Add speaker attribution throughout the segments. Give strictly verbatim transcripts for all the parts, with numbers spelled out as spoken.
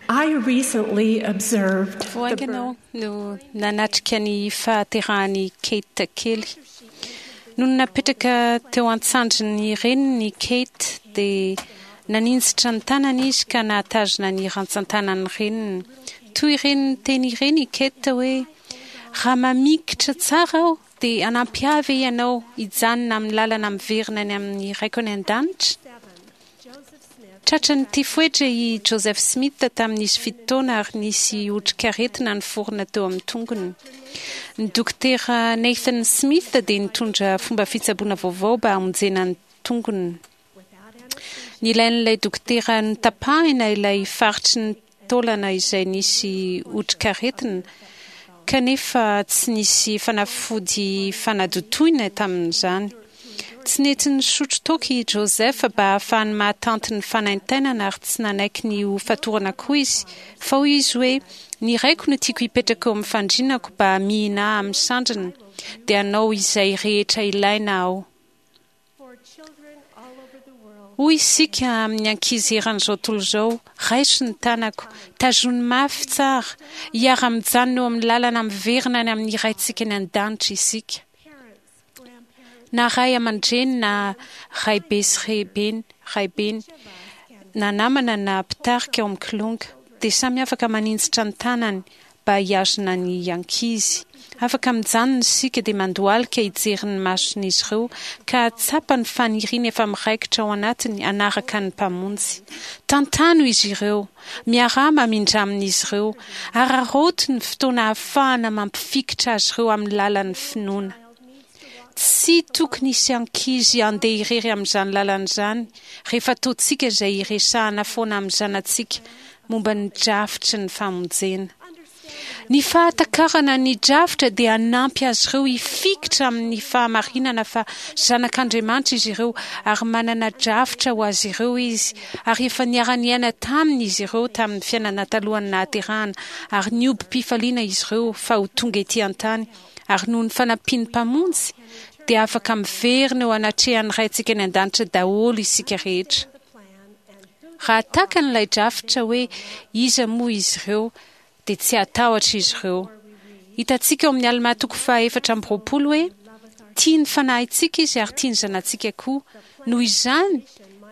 Speaker 1: I recently observed
Speaker 2: Vao
Speaker 1: the
Speaker 2: haingana aho
Speaker 1: birth
Speaker 2: no nanatrika ny fahaterahan'i Kate kely. Nony napetraka teo an-tsandrin'ny reniny Kate dia naninjitra ny tanany izy ka nahatazona ny rantsan-tanan'ny reniny. Toy ireny teny ireny i Kate hoe raha mamikitra tsara aho dia hanampy ahy ve ianao hijanona amin'ny lalana miverina any amin'ny raiko any an-danitra? Tratran'ny tifoedra i Joseph Smith tamin'izy fito taona ary nisy otrikaretina niforona teo amin'ny tongony. Ny dokotera Nathan Smith dia nitondra fomba fitsaboana vaovao mba hamonjena ny tongony. Nilain'ilay dokotera notapahina ilay faritry ny taolana izay nisy otrikaretina, kanefa tsy nisy fanafody fanadotoina tamin'izany. Tsy nety nisotro toaka i Joseph mba hahafahany mahatanty ny fanaintainana ary tsy nanaiky ny ho fatorana koa izy, fa hoy izy hoe ny raiko no tiako hipetraka eo amin'ny fandrinako mba hamihina ahy amin'ny sandriny, dia hanao izay rehetra ilaina aho.
Speaker 1: for children all over the world.
Speaker 2: Hoy isika amin'ny ankizy eran'izao tontolo izao, raiso ny tanako, tazony mafy tsara, hiara-mijanona eo amin'ny lalana miverina any amin'ny raintsika any an-danitra isika.
Speaker 1: Parents, grandparents,
Speaker 2: Na ray aman-dreny na raibe sy raibeny, raibeny, na namana na mpitarika ao amin'ny kilonga, dia samy afaka maninjitra ny tanany mba hihazona ny ankizy. Afaka mijanona isika dia mandohalika hijery ny mason'izy ireo ka hahatsapa ny faniriana efa miraikitra ao anatiny hanaraka ny Mpamonjy. Tantano izy ireo, miaraha mamindra amin'izy ireo, araraoty ny fotoana ahafahana mampifikitra azy ireo amin'ny lalan'ny finoana. Tsy tokony hisy ankizy handeha irery amin'izany lalana izany rehefa ataontsika izay hiresahana foana amin'ny zanatsika momba ny drafitry ny famonjena. Ny fahatakarana ny drafitra dia hanampy azy ireo hifikitra amin'ny fahamarinana fa zanak'Andriamanitra izy ireo ary manana drafitra ho azy ireo izy, ary efa niara-niaina taminy izy ireo tamin'ny fiainana talohan'ny nahaterahana, ary niobim-pifaliana izy ireo fa ho tonga ety an-tany, ary noho ny fanampian'ny Mpamonjy dia afaka miverina eo anatrehan'ny Raintsika any an-danitra daholo isika rehetra.
Speaker 1: the plan and who
Speaker 2: Raha takany ilay drafitra hoe iza moa izy ireo, dia tsy hatahotra izy ireo. Hitantsika ao amin'ny Alma toko fahaefatra amby roapolo hoe tia ny fanahintsika izy ary tia ny zanatsika koa. Noho izany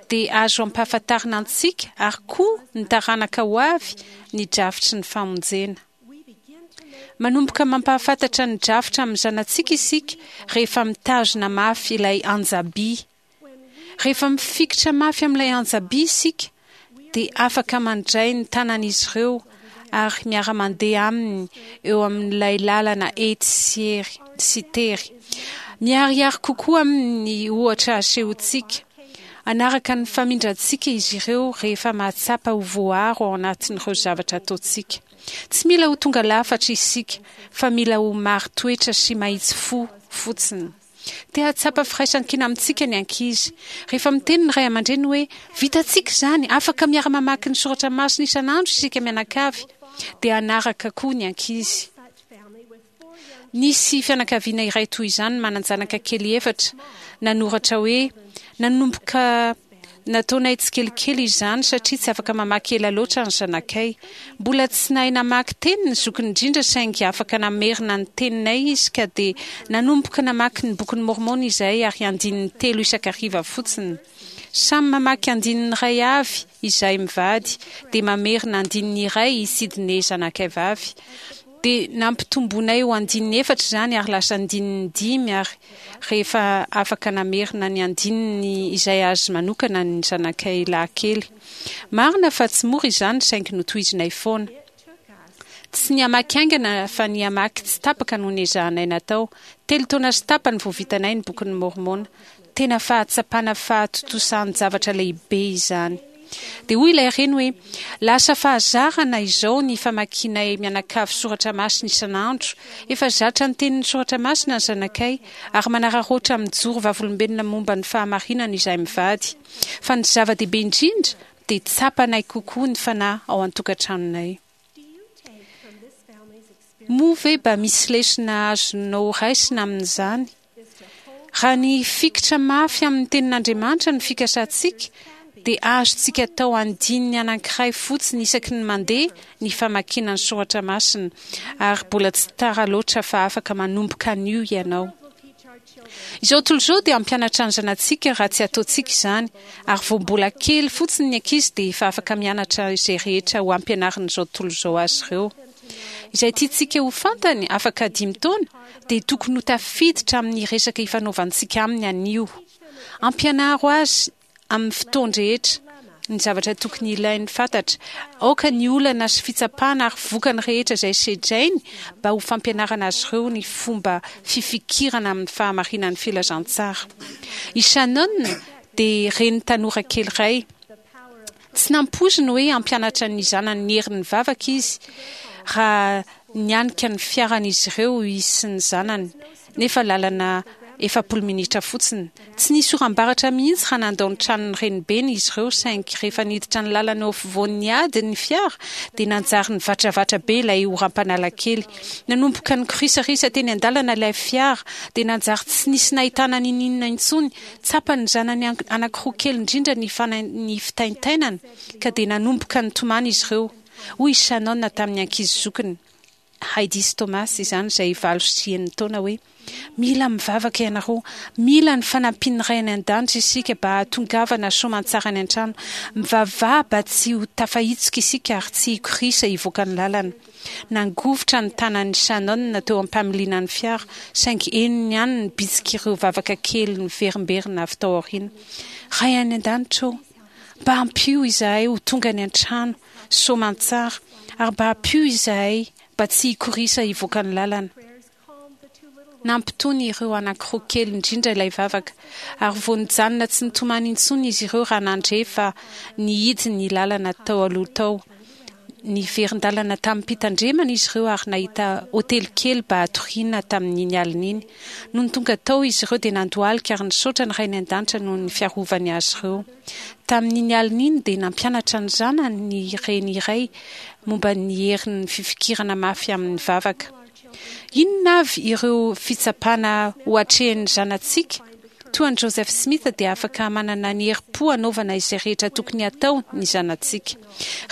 Speaker 2: dia azo ampahafantarina antsika ary koa ny taranaka ho avy ny drafitry ny famonjena.
Speaker 1: we begin to make
Speaker 2: Manomboka mampahafantatra ny drafitra amin'ny zanatsika isika rehefa mitazona mafy ilay anjaby.
Speaker 1: when we
Speaker 2: Rehefa mifikitra mafy amin'ilay anjaby isika dia afaka mandray ny tanan'izy ireo ary miara-mandeha aminy eo amin'ilay lalana ety sy ery sy tery. Miharihary kokoa amin'ny ohatra asehontsika. Hanaraka ny famindrantsika izy ireo rehefa mahatsapa ho voaro ao anatin'ireo zavatra ataontsika. Tsy mila ho tonga lafatra isika fa mila ho marin-toetra sy mahitsy fo fotsiny. Te hahatsapa firaisankina amintsika ny ankizy. Rehefa miteny ny ray aman-dreny hoe vitantsika izany, afaka miara-mamaky ny soratra masina isan'andro isika mianakavy, dia hanaraka koa ny ankizy.
Speaker 1: such family with four young
Speaker 2: Nisy fianakaviana iray toy izany manan-janaka kely efatra nanoratra hoe nanomboka nataonay tsikelikely izany satria tsy afaka mamaky ela loatra ny zanakay. Mbola tsy nahay namaky teny ny zokiny indrindra saingy afaka namerina ny teninay izy ka dia nanomboka namaky ny bokin'ny Mormona izahay ary andininy telo isan-kariva fotsiny. Samy mamaky andininy iray avy izahay mivady dia mamerina andininy iray i Sidney zanakay vavy. Dia nampitombonay ho andininy efatra izany ary lasa andininy dimy, ary rehefa afaka namerina ny andininy izay azy manokana ny zanakay lahy kely. Marina fa tsy mora izany saingy notohizinay foana.
Speaker 1: it took us
Speaker 2: Tsy ny hamaky haingana fa ny hamaky tsy tapaka no nezahanay natao. Telo taona sy tapany vao vitanay ny bokin'ny Mormona. Tena fahatsapana fahatontosan-javatra lehibe izany. Dia hoy ilay reny hoe lasa fahazarana izao ny famakianay mianakavy soratra masina isan'andro. Efa zatra ny tenin'ny soratra masina ny zanakay ary manararaotra mijoro vavolombelona momba ny fahamarinana izahay mivady. Fa ny zava-dehibe indrindra dia tsapanay kokoa ny fanahy ao an-tokantranonay.
Speaker 1: do you take from this family's experience
Speaker 2: Moa ve mba misy lesona azonao raisina amin'izany?
Speaker 1: is to hold
Speaker 2: Raha ny fikitra mafy amin'ny tenin'Andriamanitra ny fikasantsika, dia azontsika atao andininy anankiray fotsiny isaky ny mandeha ny famakiana ny soratra masina, ary mbola tsy tara loatra fa afaka manomboka an'io ianao. Izao tontolo izao dia hampianatra ny zanatsika raha tsy ataontsika izany, ary vao mbola kely fotsiny ny ankizy dia efa afaka mianatra izay rehetra ho ampianarin'izao tontolo izao azy ireo. Izay tiantsika ho fantany afaka dimy taona dia tokony ho tafiditra amin'ny resaka ifanaovantsika aminy anio. Ampianaro azy amin'ny fotoan-drehetra ny zavatra tokony ilainy fantatra. Aoka ny olana sy fitsapana ary vokany rehetra izay sedrainy mba ho fampianarana azy ireo ny fomba fifikirana amin'ny fahamarinan'ny filazantsara. I Shannon dia reny tanora kely iray. Tsy nampoiziny hoe hampianatra ny zanany ny herin'ny vavaka izy raha nianika ny fiaran'izy ireo izy sy ny zanany, nefa lalana efapolo minitra fotsiny. Tsy nisy oram-baratra mihitsy raha nandao ny tranon'ny renibeny izy ireo, saingy rehefa niditra ny lalana eo afovoan'ny ady ny fiara dia nanjary nivatravatra be ilay oram-panala kely. Nanomboka nikorisarisa teny an-dalana ilay fiara dia nanjary tsy nisy nahitana n'ininona intsony. Tsapan'ny zanany anankiroa kely indrindra ny ny fitaintainana ka dia nanomboka nitomany izy ireo. Hoy i Shannon tamin'ny ankizy zokiny, Heidi sy Thomas izany, izay valo sy enina taona, hoe: Mila mivavaka ianareo. Mila ny fanampian'ny Ray any an-danitra isika mba hahatongavana soamantsara any an-trano. Mivavaha mba tsy ho tafahitsoka isika ary tsy hikorisa hivoaka ny lalana. Nangovitra ny tanan'i Shannon teo am-pamiliana ny fiara, saingy henony ihany ny bitsik'ireo vavaka kely niverimberina avy tao aoriana. Ray any an-danitra ô, mba ampio izahay ho tonga any an-trano soamantsara, ary mba ampio izahay mba tsy hikorisa hivoaka ny lalana. Nampitony ireo anankiroa kely indrindra ilay vavaka, ary vao nijanona tsy nitomany intsony izy ireo raha nandre fa nihidy ny lalana tao aloha tao. Niverin-dalana tamim-pitandremana izy ireo ary nahita hotely kely mba hatoriana tamin'iny alina iny. Nony tonga tao izy ireo dia nandohalika ary nisaotra ny Rainy an-danitra noho ny fiarovany azy ireo. Tamin'iny alina iny dia nampianatra ny zanany ny reny iray momba ny herin'ny fifikirana mafy amin'ny vavaka. Inona avy ireo fitsapana ho atrehin'ny zanatsika? Toa an'i Joseph Smith dia afaka manana ny herim-po hanaovana izay rehetra tokony hatao ny zanatsika.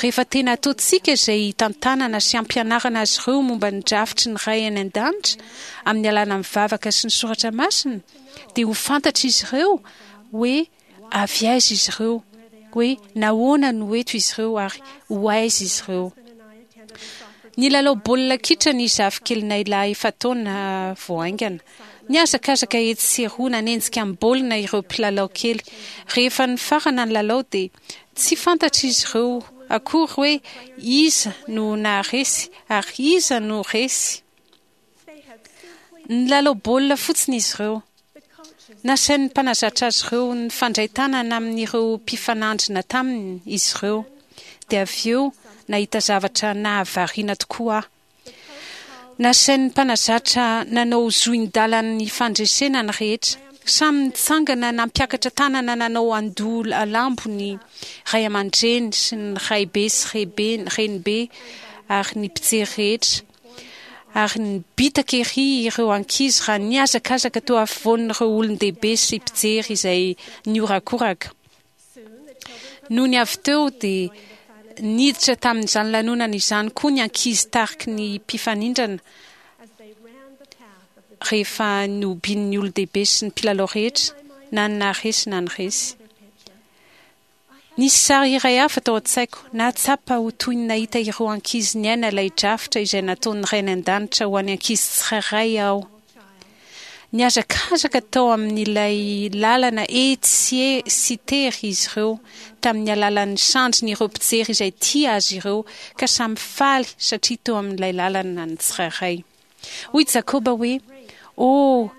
Speaker 2: Rehefa tena ataontsika izay hitantanana sy hampianarana azy ireo momba ny drafitry ny Ray any an-danitra amin'ny alalan'ny vavaka sy ny soratra masina, dia ho fantatr'izy ireo hoe avy aiza izy ireo, hoe nahoana no eto izy ireo ary ho aiza izy ireo. Nilalao baolina kitra ny zafikelinay lahy efa-taona vao haingana. Nihazakazaka etsy sy eroa nanenjika ny baolina ireo mpilalao kely. Rehefa nifarana ny lalao dia tsy fantatr'izy ireo akory hoe iza no naharesy ary iza no resy. Nilalao baolina fotsiny izy ireo. Nasain'ny mpanazatra azy ireo nifandray tanana amin'ireo mpifanandrina taminy izy ireo. Dia avy eo nahita zavatra nahavariana tokoa aho. Nasain'ny mpanazatra nanao zohin-dalan'ny fandresena ny rehetra. Samy nitsangana nampiakatra tanana nanao andoha lambo ny ray aman-dreny sy ny raibe sy rebe renibe ary ny mpijery rehetra. Ary nibitaka ery ireo ankizy raha nihazakazaka teo afovoan'ireo olon-dehibe sy mpijery izay nihorakoraka. Nony avy teo dia niditra tamin'izany lanonana izany koa ny ankizy tariky ny mpifanindrana rehefa nohobian'ny olon-dehibe sy ny mpilalao rehetra, na ny naharesy na ny resy. Nisy sary iray hafa tao an-tsaiko. Nahatsapa ho toy ny nahita ireo ankizy niaina ilay drafitra izay nataon'ny Ray any An-danitra ho an'ny ankizy tsirairay aho. Nihazakazaka tao amin'ilay lalana etsy sy tery izy ireo tamin'ny alalan'ny sandrin'ireo mpijery izay tia azy ireo, ka samy faly satria teo amin'ilay lalana ny tsirairay. Hoy Jakoba hoe, Oh,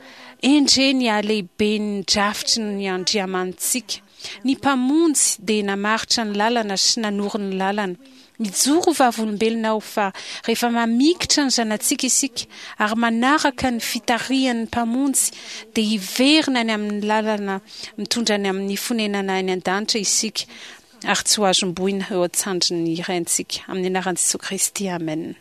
Speaker 2: endre ny halehiben'ny drafitry ny Andriamanitsika! Ny Mpamonjy dia namaritra ny lalana sy nanoro ny lalana. Mijoro ho vavolombelona aho fa rehefa mamikitra ny zanatsika isika ary manaraka ny fitarihan'ny Mpamonjy dia hiverina any amin'ny lalana mitondra any amin'ny fonenana any an-danitra isika ary tsy ho azom-boina eo an-tsandrin'ny Raintsika. Amin'ny anaran'i Jesoa Kristy, amena.